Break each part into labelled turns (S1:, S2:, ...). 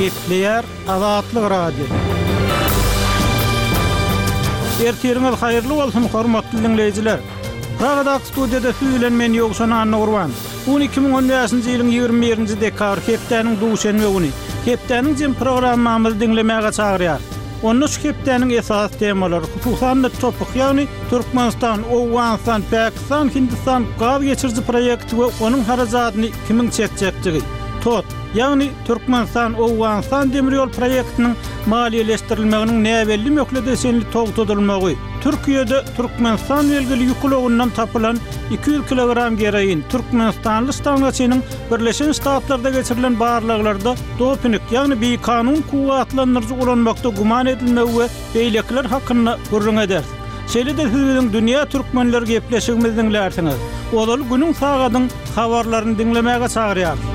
S1: Gepleýär Azatlyk Radiosy. Ertiriňiz haýyrly bolsun, hormatly diňleýjiler! Pragadaky studiýada siz bilen men Ýowşan Annagurban. Bu gün 2015-nji ýylyň 21-nji dekabr, hepdäniň duşenbe güni. Hepdäniň jem programmamyzy diňlemäge çagyrýarys. Onda şu hepdäniň esasy temalary, hususan-da TOPH, ýagny Türkmenistan, Owganystan, Pakistan, Hindistan gaz geçiriji proýekti we onuň harajadyny kimiň çekjekdigi, TOT, ýagny Türkmenistan, Owganystan demir ýol proýektiniň maliýeleşdirilmeginiň näbelli möhlete çenli togtadylmagy, Türkiýede Türkmenistan belgili ýük ulagyndan tapylan 200 kilogram geroin, türkmenistanly ştangaçynyň Birleşen Ştatlarda geçirilen barlaglarda doping, ýagny bikanun kuwwatlandyryjy ulanmakda güman edilmegi we beýlekiler hakynda gürrüň ederis. Şeýle-de siz biziň Dünýä Türkmenleri gepleşigimizi diňlärsiňiz. Ozaly günüň sagadyň habarlaryny diňlemäge çagyrýarys.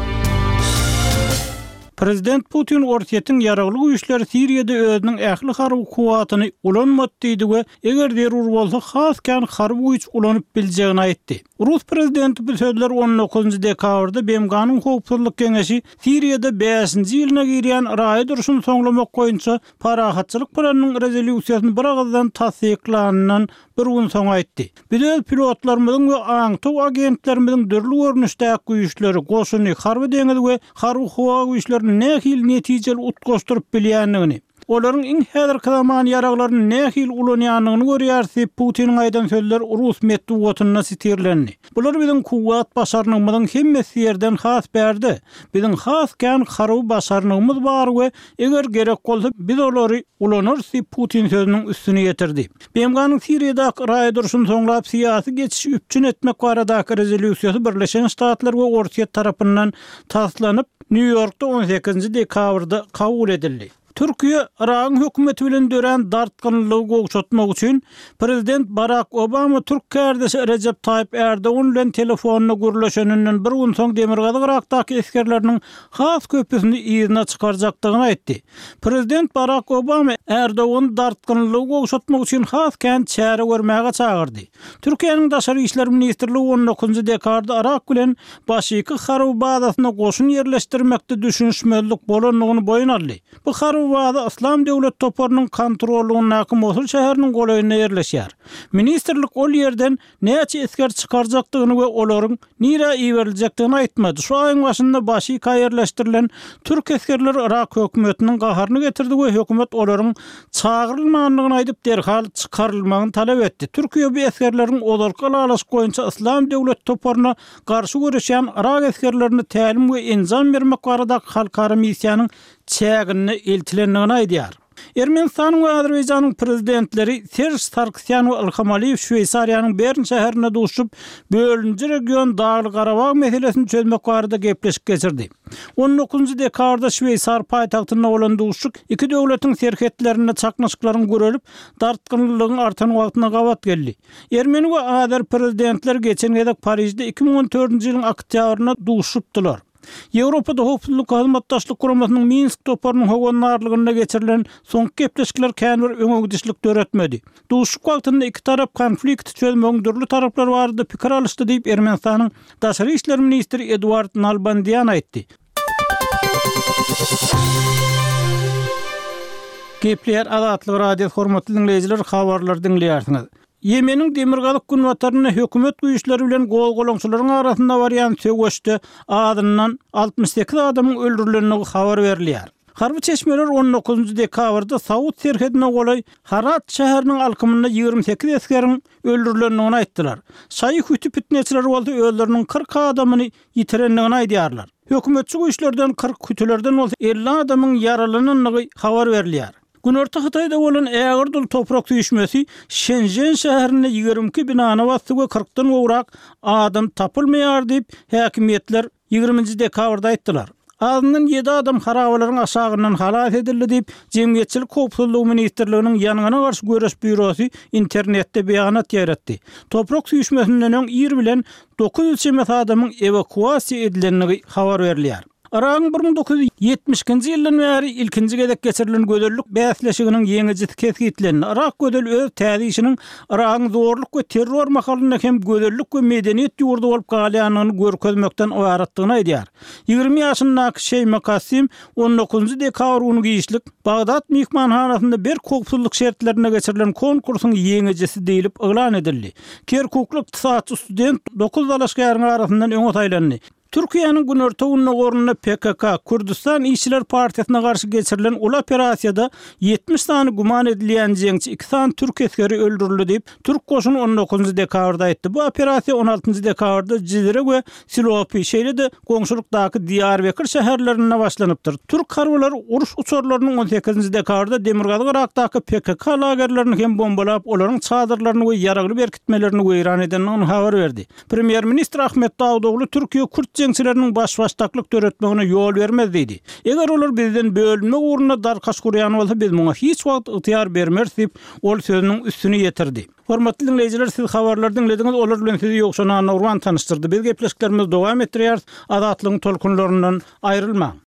S1: Prezident Putin Orsýetiň ýaragly güýçleri Siriýada özüniň ähli harby kuwwatyny ulanmady diýdi we eger zerur bolsa has kän harby güýç ulanyp biljegini aýtdy. Rus prezidenti bu sözleri on dokuzynjy dekabrda BMG-niň Howpsuzlyk Geňeşi Siriýada bäşinji ýylyna girýän raýat urşuny soňlamak boýunça parahatçylyk planynyň rezolýusiýasyny biragyzdan tassyklanyndan bir gün soň aýtdy. Biz öz pilotlarymyzyň we aňtaw agentlerimiziň dürli görnüşdäki güýçleri, goşuny, harby-deňiz we harby-howa güýçlerini nähili netijeli utgaşdyryp bilýändigini, olaryň iň häzirki zaman ýaraglaryny nähili ulanýandygyny görýäris diýip, Putiniň aýdan sözleri rus metbugatynda sitirlendi. Bular biziň kuwwat başarnygymyzyň hemmesi ýerden has bärde. Biziň has kän harby başarnygymyz bar we eger gerek bolsa biz olary ulanarys diýip, Putin sözüniň üstüni ýetirdi. BMG-niň Siriýadaky raýat urşuny soňlap syýasy geçişi üpjün etmek baradaky rezolýusiýasy Birleşen Ştatlar we Orsýet tarapyndan taslanyp, Nýu-Ýorkda on sekizinji dekabrda kabul edildi. Türkiýe Yragyň hökümeti bilen dörän dartgynlylygy gowşatmak üçin prezident Barak Obama türk kärdeşi Rejep Taýyp Ärdogan bilen telefonda gürleşeninden bir gün soň Demirgazyk Yrakdaky esgerleriniň has köpüsini yzyna çykarjakdygyny aýtdy. Prezident Barak Obama Ärdogany dartgynlylygy gowşatmak üçin has kän çäre görmäge çagyrdy. Türkiýäniň Daşary işler ministrligi on dokuzynjy dekabrda Yrak bilen Başiki harby bazasynda goşun ýerleşdirmekde düşünişmezlik bolandygyny boýun aldy. Bu harby baza Yslam döwlet toparynyň kontrollygyndaky Mosul şäheriniň golaýynda ýerleşýär. Ministrlik ol ýerden näçe esger çykarjakdygyny we olaryň nirä iberiljekdigini aýtmady. Şu aýyň başynda Başika ýerleşdirilen türk esgerleri yrak hökümetiniň gaharyny getirdi we hökümet olaryň çagyrylmandygyny aýdyp, derhal çykarylmagyny talap etdi. Türkiýe bu esgerleriň ozalky ylalaşyk boýunça Yslam döwleti toparyna garşy göreşýän yrak esgerlerine tälim we enjam bermek baradaky halkara missiýanyň çäginde eltilendigini aýdýar. Ermenistanyň we Azerbaýjanyň Prezidentleri Serž Sargsýan we Ilham Aliýew Şweýsariýanyň Bern şäherinde duşuşyp, bölüniji region Dagly-Garabag meselesini çözmek barada gepleşik geçirdi. On dokuzynjy dekabrda şweýsar paýtagtynda bolan duşuşyk iki döwletiň serhetlerinde çaknyşyklaryň gürelip, dartgynlylygyň artan wagtyna gabat geldi. Ermeni we azer Prezidentleri geçen gezek Parižde 2014-nji ýylyň oktýabrynda duşuşypdylar. Ýewropada Howpsuzlyk Hyzmatdaşlyk Guramasynyň Minsk toparynyň howandarlygynda geçirilen soňky gepleşikler kän bir öňe gidişlik döretmedi. Duşuşyk wagtynda iki tarap konflikti çözmegiň dürli taraplary barada pikir alyşdy diýip, Ermenistanyň daşary işler ministri Eduard Nalbandian aýtdy. Gepleýär Azatlyk Radiosy hormatly diňleýjiler habarlary diňleýärsiňiz. Ýemeniň demirgazyk-günbatarynda hökümet güýçleri bilen gozgalaňçylaryň arasynda barýan söweşde azyndan 68 adamyň öldürilendigi habar berilýär. Harby çeşmeler on dokuzynjy dekabrda saud serhedine golaý Harat şäheriniň alkymynda 28 esgeriň öldürilendigini aýtdylar. Şaýy hüti pitneçileri bolsa özleriniň 40 adamyny ýitirendigini aýdýarlar. Hökümetçi güýçlerden 40, hütülerden bolsa 50 adamyň ýaralanandygy habar berilýär. Günorta Hytaýda bolan ägirt uly toprak süýşmesi Şenžen şäherinde 22 binany basdy we kyrkdan gowrak adam tapylmaýar diýip, häkimiýetler ýigriminji dekabrda aýtdylar. Azyndan ýedi adam harabalaryň aşagyndan halas edildi diýip, Jemgyýetçilik howpsuzlygy ministrliginiň Ýangyna garşy göreş býurosy internetde beýanat ýaýratdy. Toprak süýşmesinden öň ir bilen 900 çemesi adamyň ewakuasiýa edilendigi habar berilýär. Yragyň 1972-nji ýyldan bäri ilkinji gezek geçirilen gözellik bäsleşiginiň ýeňijisi kesgitlendi. Yrak gözeli öz täze işiniň Yragyň zorluk we terror mahalynda hem gözellik we medeniýet ýurdy bolup galýandygyny görkezmekden ybaratdygyny aýdýar. 20 ýaşyndaky Şeýma Kassim on dokuzynjy dekabr güni giçlik Bagdat myhmanhanasynda berk howpsuzlyk şertlerinde geçirilen konkursyň ýeňijisi diýlip yglan edildi. Kerkukly ykdysatçy student dokuz dalaşgäriň arasyndan öňe saýlandy. Türkiýäniň günorta-gündogarynda PKK, Kürdüstan işçiler partiýasyna garşy geçirilen uly operasiýada 70 sany güman edilýän jeňçi, iki sany türk esgeri öldürildi diýip, türk goşuny on dokuzynjy dekabrda aýtdy. Bu operasiýa on altynjy dekabrda Jizre we Silopi, şeýle-de goňşulykdaky Diýarbekir şäherlerinde başlanypdyr. Türk harbylary uruş uçarlarynyň on sekizinji dekabrda Demirgazyk Yrakdaky PKK lagerlerini hem bombalap, olaryň çadyrlaryny we ýaragly berkitmelerini weýran edendigini habar berdi. Premýer-ministr Ahmet Dawutogly Türkiýe kürt jeňçileriniň baş-başdaklyk döretmegine ýol bermez diýdi. Eger olar bizden bölünmek ugrunda darkaş gurýan bolsa, biz muňa hiç wagt ygtyýar bermeris diýip, ol sözüniň üstüni ýetirdi. Hormatly diňleýjiler, siz habarlary diňlediňiz, olar bilen sizi Ýowşan Annagurban tanyşdyrdy. Biz gepleşiklerimizi dowam etdirýäris, Azatlygyň tolkunlaryndan aýrylmaň!